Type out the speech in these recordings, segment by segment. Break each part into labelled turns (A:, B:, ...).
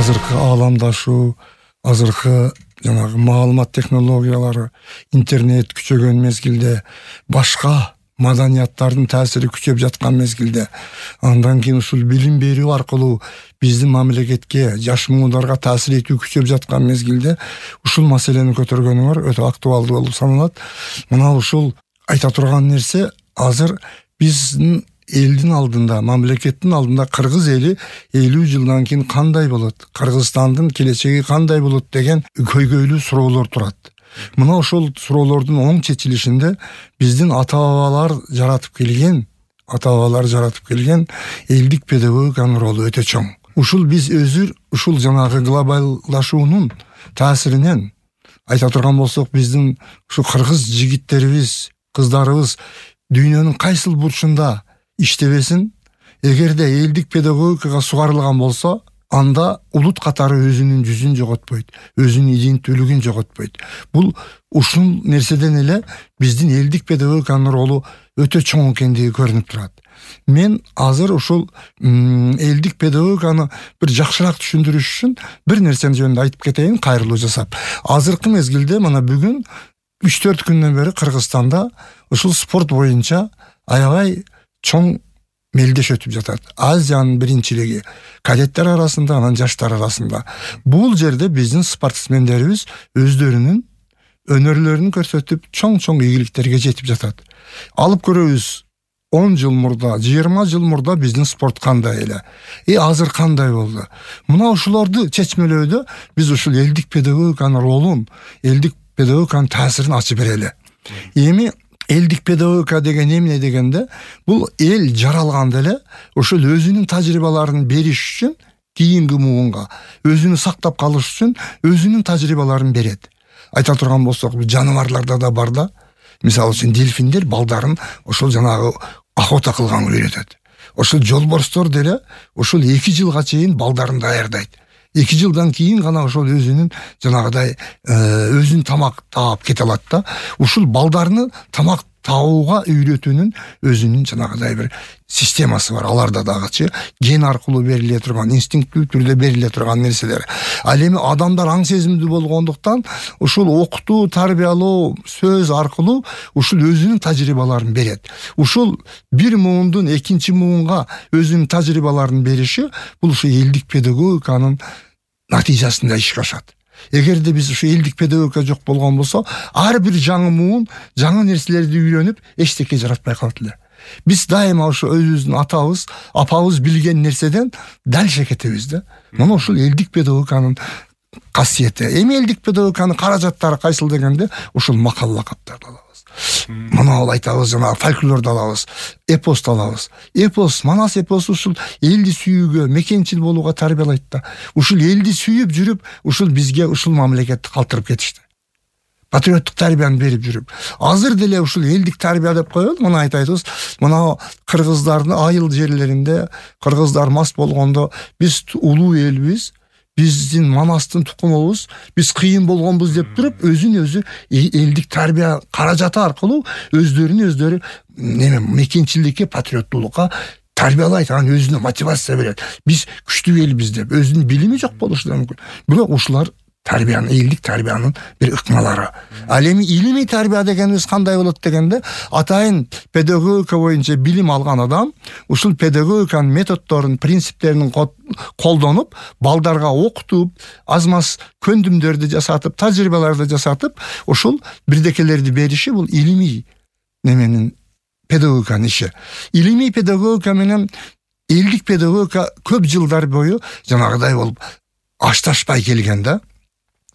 A: азыркы ааламдашуу, азыркы жанагы маалымат технологиялары, интернет күчөгөн мезгилде, башка маданияттардын таасири күчөп жаткан мезгилде, андан кийин ушул билим берүү аркылуу биздин мамлекетке, жаш муундарга таасир этүү күчөп жаткан мезгилде ушул маселени көтөргөнүңөр өтө актуалдуу болуп саналат. Мына ушул айта турган нерсе, азыр биздин элдин алдында, мамлекеттин алдында кыргыз эли 50 жылдан кийин кандай болот, Кыргызстандын келечеги кандай болот деген көйгөйлүү суроолор турат. Мына ошол суроолордун оң чечилишинде биздин ата-бабалар жаратып келген элдик педагогиканын ролу өтө чоң. Ушул биз ушул жанагы глобалдашуунун таасиринен айта турган болсок, биздин ушу кыргыз жигиттерибиз, кыздарыбыз дүйнөнүн кайсыл бурчунда иштебесин, эгерде элдик педагогикага сугарылган болсо, анда улут катары өзүнүн жүзүн жоготпойт, өзүнүн иденттүүлүгүн жоготпойт. Бул ушул нерседен эле биздин элдик педагогиканын ролу өтө чоң экендиги көрүнүп турат. Мен азыр ушул элдик педагогиканы бир жакшыраак түшүндүрүш үчүн бир нерсени жөнүндө айтып кетейин, кайрылуу жасап. Азыркы мезгилде мына бүгүн 3-4 күндөн бери Кыргызстанда ушул спорт боюнча аябай чоң мелдеш өтүп жатат. Азиянын биринчилиги кадеттер арасында, анан жаштар арасында. Бул жерде биздин спортсмендерибиз өздөрүнүн өнөрлөрүн көрсөтүп, чоң ийгиликтерге жетип жатат. Алып көрөбүз, 10 жыл мурда, 20 жыл мурда биздин спорт кандай эле, азыр кандай болду. Мына ушуларды чечмелөөдө биз ушул элдик педагогиканын ролун, элдик педагогиканын таасирин ачып берели. Эми элдик педагогика деген эмне дегенде, бул эл жаралганда эле ошол өзүнүн тажрыйбаларын бериш үчүн кийинки муунга, өзүнү сактап калыш үчүн өзүнүн тажрыйбаларын берет. Айта турган болсок, жаныбарларда да бар да. Мисалы үчүн дельфиндер балдарын ошол жанагы охота кылганга үйрөтөт. Ошол жолборстор деле ошол 2 жылга чейин балдарын даярдайт. 2 жылдан кийин гана ошол өзүнүн жанагыдай өзүн тамак таап кете алат да. Ушул балдарны тамак табууга үйрөтүүнүн өзүнүн жанагыдай бир системасы бар. Аларда дагычы ген аркылуу бериле турган, инстинкттүү түрдө бериле турган нерселер. Ал эми адамдар аң сезимдүү болгондуктан ушул окутуу, тарбиялоо, сөз аркылуу ушул өзүнүн тажрыйбаларын берет. Ушул бир муундун экинчи муунга өзүнүн тажрыйбаларын бериши бул ушу элдик педагогиканын натыйжасында ишке ашат. Эгерде биз ушу элдик педагогика жок болгон болсо, ар бир жаңы муун, жаңы нерселерди үйрөнүп, эчтеке жаратпай калат эле. Биз дайыма ушу өзүбүздүн атабыз, апабыз билген нерседен дальше кетебиз да. Мына ушул элдик педагогиканын касиети. Эми элдик педагогиканын каражаттары кайсыл дегенде, ушул макал лакаптарды алабыз. Мына айтабыз, жана фольклорду алабыз, эпосту алабыз. Эпос, Манас эпосу ушул элди сүйүүгө, мекенчил болууга тарбиялайт да. Ушул элди сүйүп жүрүп, ушул бизге ушул мамлекетти калтырып кетишти. Патриоттук тарбияны берип жүрүп. Азыр деле ушул элдик тарбия деп коелу, мына айтабыз, мына кыргыздардын айыл жерлеринде, кыргыздар мас болгондо биз улуу элбиз, биздин Манастын тукумубуз, биз кыйын болгонбуз деп туруп, өзүн-өзү элдик тарбия каражаты аркылуу өздөрү мекенчилдикке, патриоттуулукка тарбиялайт, анан өзүнө мотивация берет. Биз күчтүү элбиз деп, өзүнүн билими жок болушу да мүмкүн. Бирок ушулар тарбиянын, элдик тарбиянын бир ыкмалары. Ал эми илимий тарбия дегенибиз кандай болот дегенде, атайын педагогика боюнча билим алган адам ушул педагогиканын методдорун, принциптерин колдонуп, балдарга окутуп, аз-маз көндүмдөрдү жасатып, тажрыйбаларды жасатып, ушул бирдекелерди бериши бул илимий неменин педагогиканын иши. Илимий педагогика менен элдик педагогика көп жылдар бою жанагыдай болуп ашташпай келген да.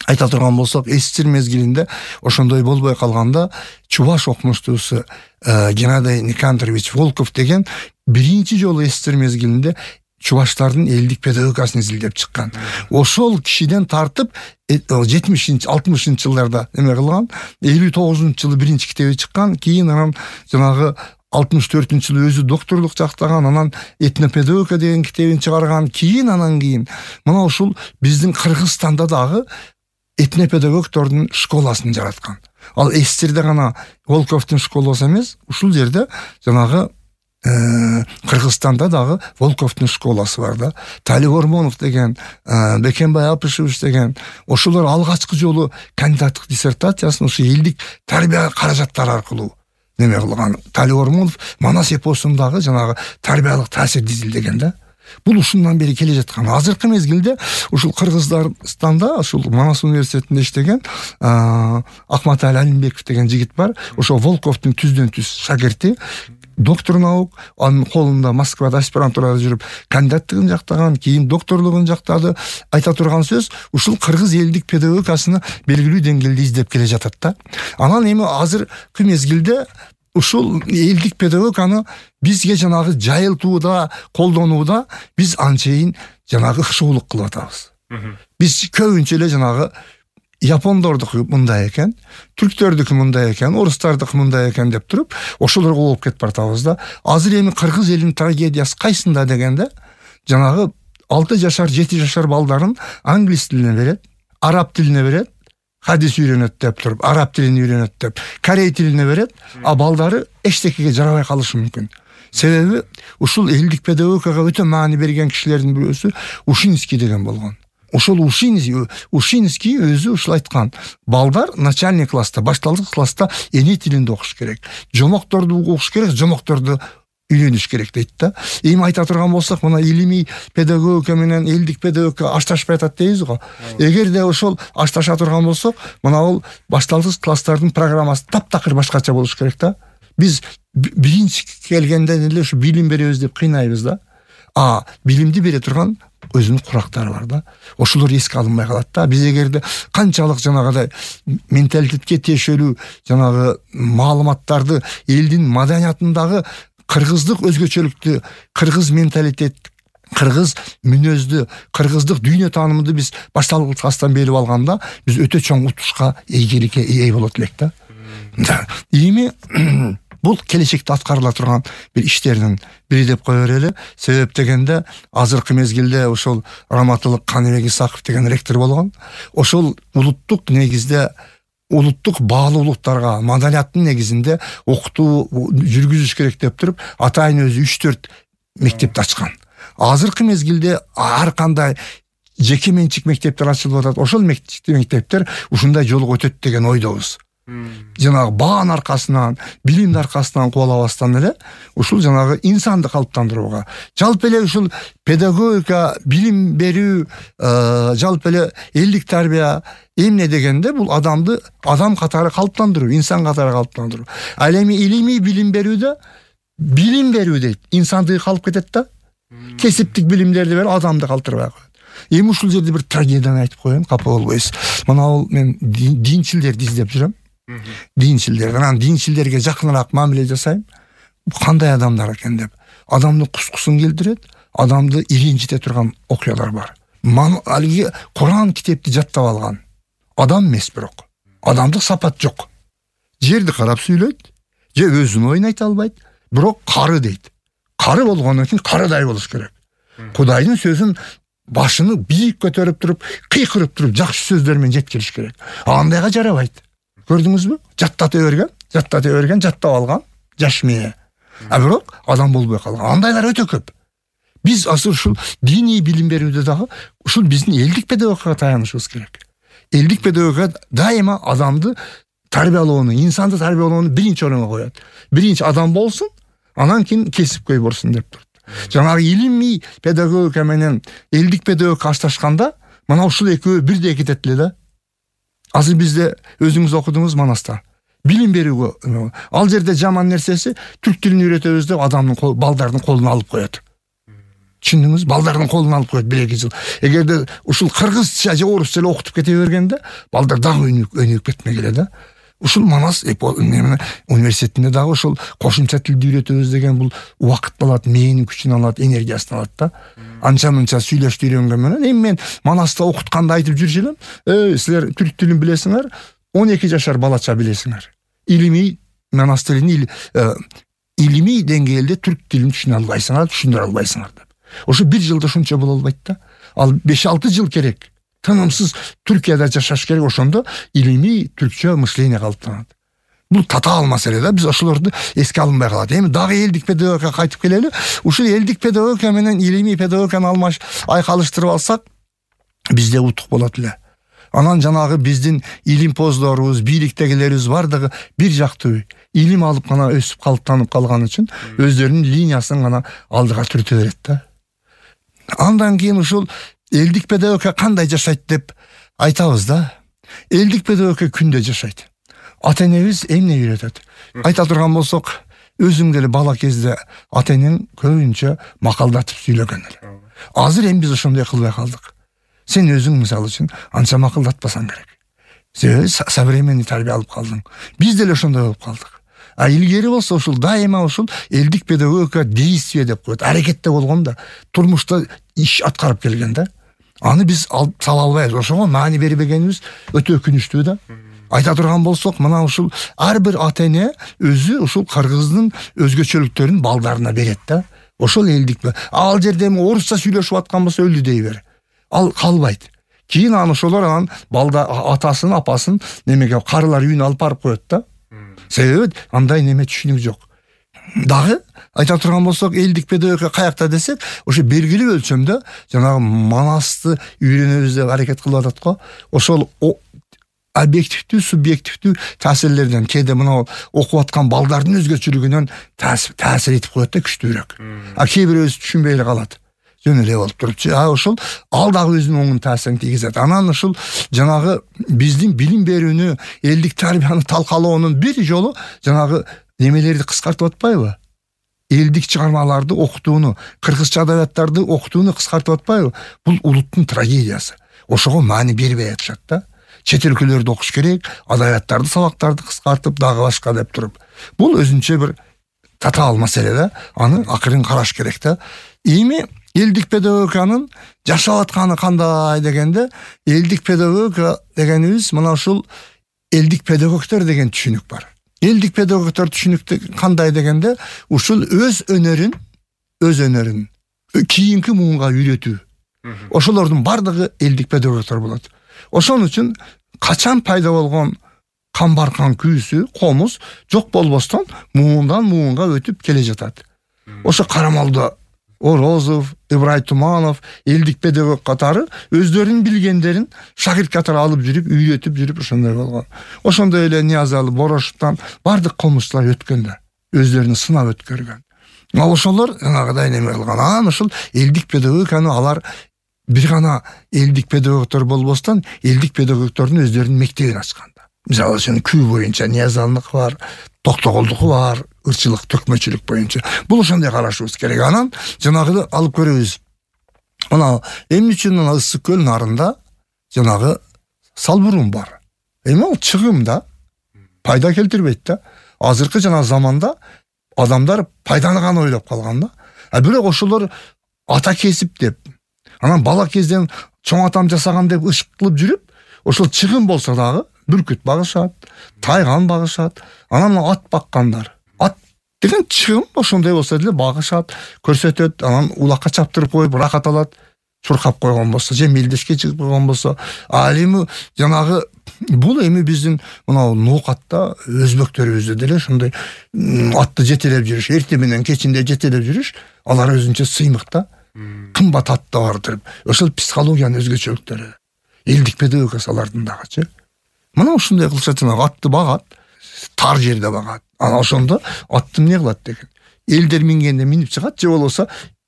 A: Айта турган болсок, эсчил мезгилинде ошондой болбой калганда чуваш окумуштуусу Геннадий Никандрович Волков деген биринчи жолу эсчил мезгилинде чуваштардын элдик педагогикасын изилдеп чыккан. Ошол кишиден тартып 70-60 жылдарда эме кылган, 59-жылы биринчи китеби чыккан, кийин анан жанагы 64-жылы өзү докторлук жактаган, анан этнопедагогика деген китебин чыгарган, анан кийин мына ушул биздин Кыргызстанда дагы этнопедагогтордун школасын жараткан. Ал эсчирде гана Волковдун школасы эмес, ушул жерде жанагы Кыргызстанда дагы Волковдун школасы бар да. Талиб Ормонов деген, Бекенбай Апышевич деген, ошолор алгачкы жолу кандидаттык диссертациясын ушу элдик тарбия каражаттары аркылуу неме кылган. Талиб Ормонов Манас эпосундагы жанагы тарбиялык таасирди изилдеген да. Бул ушундан бери келе жаткан. Азыркы мезгилде ушул Кыргызстанда, ушул Манас университетинде иштеген Акматали Алимбеков деген жигит бар. Ошо Волковдун түздөн түз шакирти, доктор наук, анын колунда Москвада аспирантурада жүрүп кандидаттыгын жактаган, кийин докторлугун жактады. Айта турган сөз, ушул кыргыз элдик педагогикасыны белгилүү деңгээлде издеп келе жатат да. Анан эми азыркы мезгилде ушул элдик педагогиканы бизге жанагы жайылтууда, колдонууда биз анчейин жанагы ыкшоолук кылып атабыз. Биз көбүнчө эле жанагы япондордуку мындай экен, түрктөрдүкү мындай экен, орустардыкы мындай экен деп туруп, ошолорго болуп кетип баратабыз да. Азыр эми кыргыз элинин трагедиясы кайсында дегенде, жанагы 6 жашар, 7 жашар балдарын англис тилине берет, араб тилине берет, хадис үйрөнөт деп туруп, араб тилин үйрөнөт деп, корей тилине берет, а балдары эчтекеге жарабай калышы мүмкүн. Себеби ушул элдик педагогикага өтө маани берген кишилердин бирөөсү Ушинский деген болгон. Ошол Ушинский өзү ушул айткан. Балдар начальник класста, башталгыч класста эне тилинде окуш керек. Жомокторду окуш керек, жомокторду үйрөнүш керек дейт да. Эми айта турган болсок, мына илимий педагогика менен элдик педагогика ашташпай атат дейбиз го. Эгерде ошол ашташа турган болсок, мына бул башталгыч класстардын программасы таптакыр башкача болуш керек да. Биз биринчи келгенден эле ушу билим беребиз деп кыйнайбыз да. Билимди бере турган өзүнүн курактары бар да. Ошолор эске алынбай калат да. Биз эгерде канчалык жанагыдай менталитетке тиешелүү жанагы маалыматтарды, элдин маданиятындагы кыргыздык өзгөчөлүктү, кыргыз менталитет, кыргыз мүнөздү, кыргыздык дүйнө таанымды биз башталгыч класстан берип алганда, биз өтө чоң утушка, ийгиликке ээ болот элек да. Эми бул келечекте аткарыла турган бир иштердин бири деп кое берели. Себеп дегенде, азыркы мезгилде ошол Раматылык Каныбек Исаков деген ректор болгон. Ошол улуттук негизде улуттук баалуулуктарга, маданияттын негизинде окутуу жүргүзүш керек деп туруп, атайын өзү 3-4 мектепти ачкан. Азыркы мезгилде ар кандай жеке менчик мектептер ачылып атат. Ошол мектептер ушундай жолго өтөт деген ойдобуз. Жанагы баанын аркасынан, билимдин аркасынан кубалабастан эле ушул жанагы инсанды калыптандырууга, жалпы эле ушул педагогика, билим берүү, жалпы эле элдик тарбия эмне дегенде, бул адамды адам катары калыптандыруу, инсан катары калыптандыруу. Ал эми илимий билим берүүдө билим берүү дейт, инсанды калып кетет да. Кесиптик билимдерди берип адамды калтырбай коет. Эми ушул жерде бир трагедияны айтып коеюн, капа болбойсуз. Мына бул мен динчилдерди издеп жүрөм. Динчилдерге жакыныраак мамиле жасайм. Кандай адамдар экен деп. Адамдын кускусун келтирет, адамды иринчите турган окуялар бар. Алги Куран китепти жаттап алган адам эмес, бирок адамдык сапат жок. Жерди карап сүйлөйт, же өзүн оюн айта албайт, бирок кары дейт. Кары болгондон кийин карыдай болуш керек. Кудайдын сөзүн башыны бийик көтөрүп туруп, кыйкырып туруп, жакшы сөздөр менен жеткириш керек. Андайга жарабайт. Көрдүңүзбү? Жаттата берген, жаттап алган, жаш мээ. Бирок адам болбой калган. Андайлар өтө көп. Биз азыр ушул диний билим берүүдө дагы ушул биздин элдик педагогикага таянышыбыз керек. Элдик педагогика дайыма адамды тарбиялоону, инсанды тарбиялоону биринчи орунга коет. Биринчи адам болсун, анан кийин кесипкөй болсун деп турат. Жанагы илимий педагогика менен элдик педагогика ашташканда, мына ушул экөө бирдей кетет эле да. Азыр бизде өзүңүз окудуңуз Манаста. Билим берүүгө ал жерде жаман нерсеси түрк тилин үйрөтөбүз деп адамдын балдардын колуна алып коет. Түшүндүңүз? Балдардын колуна алып коет 1-2 жыл. Эгерде ушул кыргызча же орусча эле окутуп кете бергенде, балдар дагы өнүгүп кетмек эле да. Ушул Манас университетинде дагы ушул кошумча тилди үйрөтөбүз деген бул убакыт алат, мээнин күчүн алат, энергиясын алат да. Анча-мынча сүйлөштү үйрөнгөн менен эми мен Манаста окутканда айтып жүрчү элем, силер түрк тилин билесиңер, 12 жашар балача билесиңер. Илимий Манас тилин илимий деңгээлде түрк тилин түшүнө албайсыңар, түшүндүрө албайсыңар деп. Ошо 1 жылда ушунча боло албайт да. Ал 5-6 жыл керек. Тынымсыз Түркияда жашаш керек, ошондо илимий түркчө мышление калыптанат. Бул татаал маселе да, биз ошолорду эске алынбай калат. Эми дагы элдик педагогикага кайтып келели. Ушул элдик педагогика менен илимий педагогиканы айкалыштырып алсак, бизде утук болот эле. Анан жанагы биздин илимпоздорубуз, бийликтегилерибиз бардыгы бир жактуу илим алып гана өсүп калыптанып калган үчүн өздөрүнүн линиясын гана алдыга түртө берет да. Андан кийин ушул элдик педагогика кандай жашайт деп айтабыз да. Элдик педагогика күндө жашайт. Ата-энебиз эмне үйрөтөт? Айта турган болсок, өзүң деле бала кезде ата-энең көбүнчө макалдатып сүйлөгөн эле. Азыр эми биз ошондой кылбай калдык. Сен өзүң мисалы үчүн анча макалдатпасаң керек. Сен современный тарбия алып калдың. Биз деле ошондой болуп калдык. Илгери болсо ушул дайыма ушул элдик педагогика действие деп коет. Аракетте болгон да, турмушта иш аткарып келген да. Аны биз сала албайбыз. Ошого маани бербегенибиз өтө өкүнүчтүү да. Айта турган болсок, мына ушул ар бир ата-эне өзү ушул кыргыздын өзгөчөлүктөрүн балдарына берет да. Ошол элдик. Ал жерде орусча сүйлөшүп аткан болсо өлдү дей бер. Ал калбайт. Кийин ошолор анан балда атасын, апасын немеге карылар үйүнө алып барып коет да. Себеби андай неме түшүнүк жок. Дагы айта турган болсок, элдик педагогика каякта десек, ошо белгилүү өлчөмдө жанагы манасты үйрөнөбүз деп аракет кылып атат го. Ошол объективдүү, субъективдүү таасирлерден, кээде мына окуп аткан балдардын өзгөчөлүгүнөн таасир этип коет да, күчтүүрөөк. Кээ бирөөбүз түшүнбөй эле калат. Жөн эле болуп турупчу. Ошол ал дагы өзүнүн оңун таасирин тийгизет. Анан ушул жанагы биздин билим берүүнү, элдик тарбияны талкалоонун бир жолу жанагы немелерди кыскартып атпайбы? Элдик чыгармаларды окутууну, кыргызча адабияттарды окутууну кыскартып атпайбы? Бул улуттун трагедиясы. Ошого маани бербей атышат да. Чет өлкөлөрдө окуш керек, адабияттарды, сабактарды кыскартып, дагы башка деп туруп. Бул өзүнчө бир татаал маселе да. Аны акырын караш керек да. Эми элдик педагогиканын жашап атканы кандай дегенде, элдик педагогика дегенибиз мына ушул элдик педагогтор деген түшүнүк бар. Элдик педагогтор түшүнүктө кандай дегенде, ушул өз өнөрүн кийинки муунга үйрөтүү. Ошолордун бардыгы элдик педагогтор болот. Ошон үчүн качан пайда болгон камбаркан күүсү, комуз жок болбостон муундан муунга өтүп келе жатат. Ошо Карамалда Орозов, Ибрай Туманов, элдик педагог катары өздөрүнүн билгендерин шагирт катары алып жүрүп, үйрөтүп жүрүп ошондой болгон. Ошондой эле Ниязалы, Борошовдон бардык комузчулар өткөндө, өздөрүн сынап өткөргөн. Ошолор жанагыдай неме кылган. Анан ушул элдик педагогиканы алар бир гана элдик педагогтор болбостон, элдик педагогтордун өздөрүнүн мектебин ачкан. Мисалы үчүн күү боюнча Ниязалынык бар, Токтоголдуку бар, ырчылык, төкмөчүлүк боюнча. Бул ошондой карашыбыз керек. Анан жанагыды алып көрөбүз. Мына эмне үчүн Ысык көл нарында жанагы салбурун бар. Эми ал чыгым да, пайда келтирбейт да. Азыркы жана заманда адамдар пайданы гана ойлоп калган да. Бирок ошолор ата кесип деп, анан бала кезден чоң атам жасаган деп ышык кылып жүрүп, ошол чыгым болсо дагы бүркүт багышат, тайган багышат, анан ат баккандар. Ат деген чыгым ошондой болсо деле багышат, көрсөтөт, анан улакка чаптырып коюп рахат алат. Чуркап койгон болсо, же мелдешке чыгып койгон болсо, эми жанагы бул эми биздин мына ноокатта өзбөктөрүбүздө деле ошондой атты жетелеп жүрүш, эртең менен кечинде жетелеп жүрүш, алар өзүнчө сыймык да. Кымбат атта бардыр. Ошол психологиянын өзгөчөлүктөрү. Элдик педагогика алардын дагычы. Мына ушундай кылышат, атты багат, тар жерде багат. Анан ошондо атты эмне кылат деген. Элдер мингенде минип чыгат, же болбосо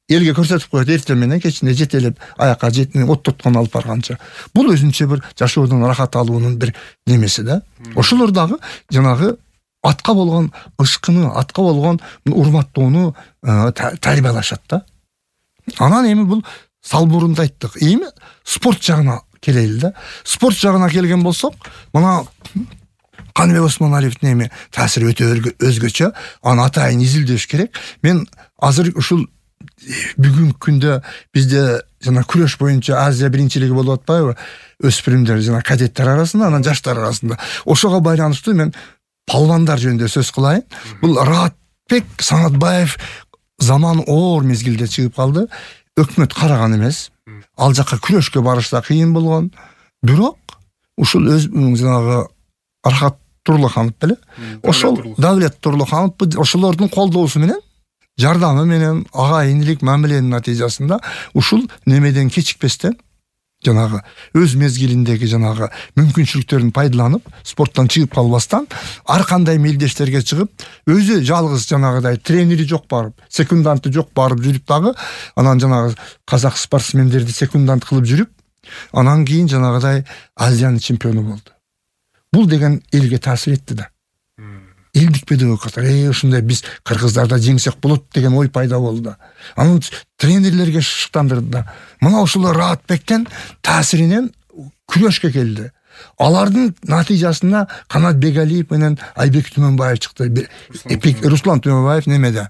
A: элге көрсөтүп коет, эртең менен кечинде жетелеп аякка оттоткон алып барганча. Бул өзүнчө бир жашоодон рахат алуунун бир немеси да. Ошолор дагы жанагы атка болгон ышкыны, атка болгон урматтоону тарбиялашат да. Анан эми бул салбурунду айттык. Эми спорт жагына келели да. Спорт жагына келген болсок, мына Каныбек Осмоналиевдин эми таасири өтө өзгөчө. Аны атайын изилдеш керек. Мен азыр ушул бүгүнкү күндө бизде жана күрөш боюнча Азия биринчилиги болуп атпайбы? Өспүрүмдөр жана кадеттер арасында, анан жаштар арасында. Ошого байланыштуу мен палвандар жөнүндө сөз кылайын. Бул Раатбек Санатбаев заман оор мезгилде чыгып калды. Өкмөт караган эмес. Ал жакка күрөшкө барышта кыйын болгон. Бирок ушул өз жанагы Архат Турлуханов беле. Ошол Давлет Турлуханов ошолордун колдоосу менен, жардамы менен, агайындык мамиленин натыйжасында ушул немеден кечикпестен жанагы өз мезгилиндеги жанагы мүмкүнчүлүктөрүн пайдаланып, спорттон чыгып калбастан ар кандай мелдештерге чыгып, өзү жалгыз жанагыдай тренери жок барып, секунданты жок барып жүрүп дагы, анан жанагы казак спортсмендерди секундант кылып жүрүп, анан кийин жанагыдай Азиянын чемпиону болду. Бул деген элге таасир этти да. Элдик педагогика, ушундай биз кыргыздарда жеңсек болот деген ой пайда болду. Анын тренерлерге шыктандырды да. Мына ушул Раатбектен таасиринен күрөшкө келди. Алардын натыйжасында Канат Бегалиев менен Айбек Түмөнбаев чыкты. Руслан Түмөнбаев немеде?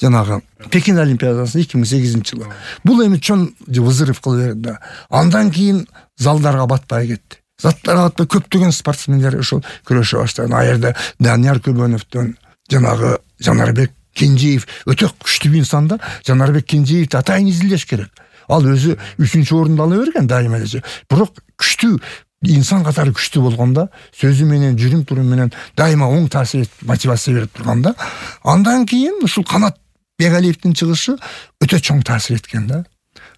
A: Жанагы Пекин Олимпиадасында 2008-жылы. Бул эми чоң вызыров кылып берди. Андан кийин залдарга батпай кетти. Заттарга көптөгөн спортсмендер ошол күрөшө баштады. Аерде Данияр Көбөнөвдөн жанагы Жанарбек Кенжеев өтө күчтүү инсан да. Жанарбек Кенжеевди атайын изилдеш керек. Ал өзү 3-чү орунду ала берген дайыма эле. Бирок күчтүү инсан катары күчтүү болгондо, сөзү менен, жүрүм турум менен дайыма оң таасир мотивация берип турганда, андан кийин ушул Канат Бегалиевдин чыгышы өтө чоң таасир эткен да.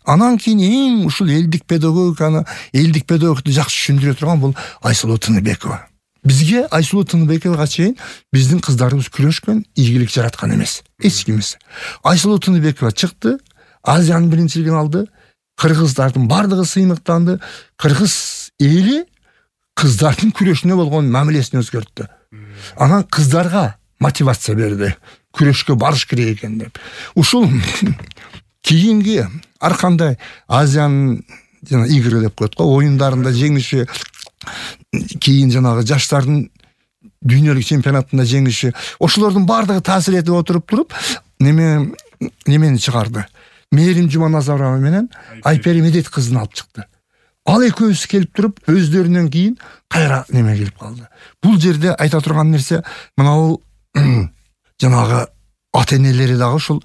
A: Анан кийин эң ушул элдик педагогиканы, элдик педагогду жакшы түшүндүрө турган бул Айсулуу Тыныбекова. Бизге Айсулуу Тыныбековага чейин биздин кыздарыбыз күрөшкөн, ийгилик жараткан эмес. Эч ким эмес. Айсулуу Тыныбекова чыкты, Азиянын биринчилигин алды, кыргыздардын бардыгы сыймыктанды, кыргыз эли кыздардын күрөшүнө болгон мамилесин өзгөрттү. Анан кыздарга мотивация берди, күрөшкө барыш керек экен деп. Ушул кийинги ар кандай Азиянын жана игры деп коет го, оюндарында жеңиши, кийин жанагы жаштардын дүйнөлүк чемпионатында жеңиши, ошолордун бардыгы таасир этип туруп немени чыгарды. Мээрим Жуманазарова менен Айпери Медет кызын алып чыкты. Ал экөөсү келип туруп, өздөрүнөн кийин кайра неме келип калды. Бул жерде айта турган нерсе, мына бул жанагы ата-энелери дагы ушул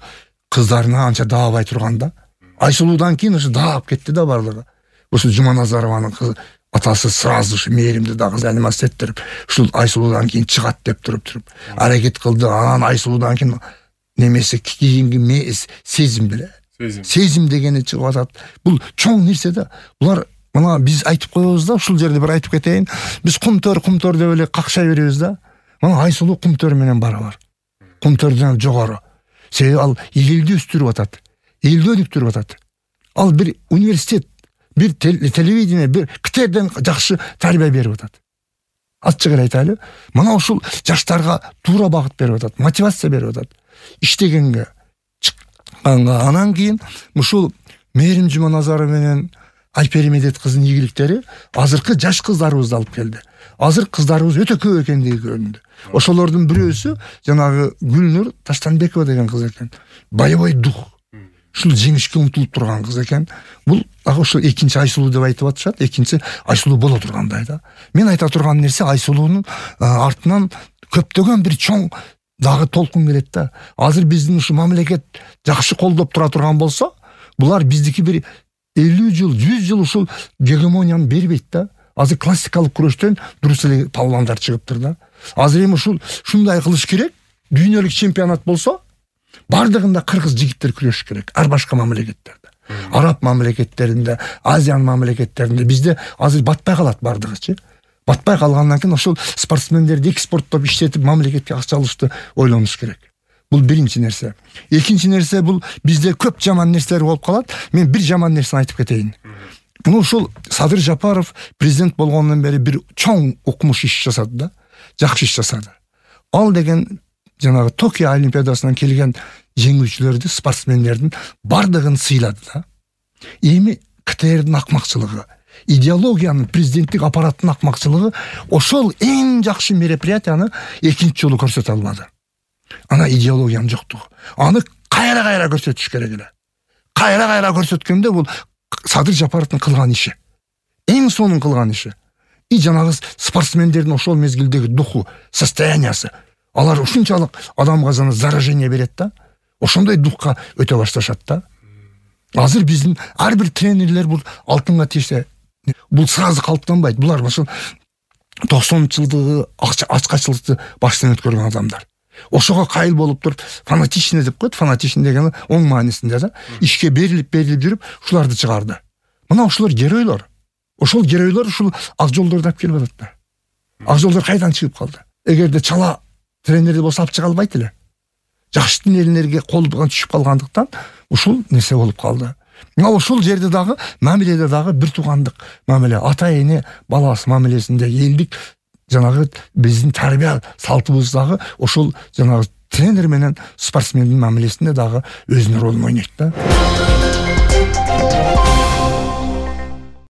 A: кыздарына анча даабай турганда, Айсулуудан кийин ушу даап кетти да барлыгы. Ушул Жуманазарованын кызы атасы сразу ушу Мээримди дагы заниматься эттерип, ушул Айсулуудан кийин чыгат деп туруп аракет кылды. Анан Айсулуудан кийин немеси кийинки сезим беле. Сезим дегени чыгып атат. Бул чоң нерсе да. Булар мына биз айтып коебуз да, ушул жерде бир айтып кетейин. Биз кумтөр деп эле какшай беребиз да. Мына Айсулуу кумтөр менен барабар. Кумтөрдөн жогору. Себеби ал элди өстүрүп атат. Элди өнүктүрүп атат. Ал бир университет, бир телевидение, бир китерден жакшы тарбия берип атат. Ачык эле айтайлы. Мына ушул жаштарга туура багыт берип атат, мотивация берип атат. Иштегенге, чыкканга. Анан кийин ушул Мээрим Жуманазарова менен Айпери Медет кыздын ийгиликтери азыркы жаш кыздарыбызды алып келди. Азыр кыздарыбыз өтө көп экендиги көрүндү. Ошолордун бирөөсү жанагы Гүлнур Таштанбекова деген кыз экен. Боевой дух. Ушул жеңишке умтулуп турган кыз экен. Бул дагы ушул экинчи Айсулуу деп айтып атышат, экинчи Айсулуу боло тургандай да. Мен айта турган нерсе, Айсулуунун артынан көптөгөн бир чоң дагы толкун келет да. Азыр биздин ушу мамлекет жакшы колдоп тура турган болсо, булар биздики бир 50 жыл, 100 жыл ушул гегемонияны бербейт да. Азыр классикалык күрөштөн дурус эле палвандар чыгыптыр да. Азыр эми ушундай кылыш керек. Дүйнөлүк чемпионат болсо, бардыгында кыргыз жигиттер күрөш керек. Ар башка мамлекеттерде. Араб мамлекеттеринде, Азиан мамлекеттеринде бизде азыр батпай калат бардыгычы. Батпай калгандан кийин ошол спортсмендерди экспорттоп иштетип мамлекетке акча алышты ойлонуш керек. Бул биринчи нерсе. Экинчи нерсе, бул бизде көп жаман нерселер болуп калат. Мен бир жаман нерсени айтып кетейин. Мына ушул Садыр Жапаров президент болгондон бери бир чоң укмуш иш жасады да. Жакшы иш жасады. Ал деген жанагы Токио Олимпиадасынан келген жеңүүчүлөрдү, спортсмендердин бардыгын сыйлады да. Эми КТРдин акмакчылыгы, идеологиянын, президенттик аппараттын акмакчылыгы ошол эң жакшы мероприятияны экинчи жолу көрсөтө албады. Ана идеологиянын жоктугу. Аны кайра көрсөтүш керек эле. Кайра көрсөткөндө бул Садыр Жапаровдун кылган иши. Эң сонун кылган иши. И жанагы спортсмендердин ошол мезгилдеги духу, состояниясы. Алар ушунчалык адамга заражение берет да. Ошондой духка өтө башташат да. Азыр биздин ар бир тренерлер бул алтынга тийсе, бул сразу калыптанбайт. Булар ошол 90-жылдыгы ачкачылыкты баштан өткөргөн адамдар. Ошого кайыл болуп туруп, фанатичный деп коет. Фанатичный дегени оң маанисинде да, ишке берилип жүрүп, ушуларды чыгарды. Мына ушулар геройлор. Ошол геройлор ушул ак жолдорду алып келип атат да. Ак жолдор кайдан чыгып калды? Эгерде чала тренерди болсо алып чыга албайт эле. Жакшы тренерлерге колдон түшүп калгандыктан ушул нерсе болуп калды. Мына ошол жерде дагы мамиледе дагы бир туугандык мамиле, ата эне баласы мамилесинде элдик жанагы биздин тарбия салтыбыз дагы ошол жанагы тренер менен спортсмендин мамилесинде дагы өзүнүн ролун ойнойт да.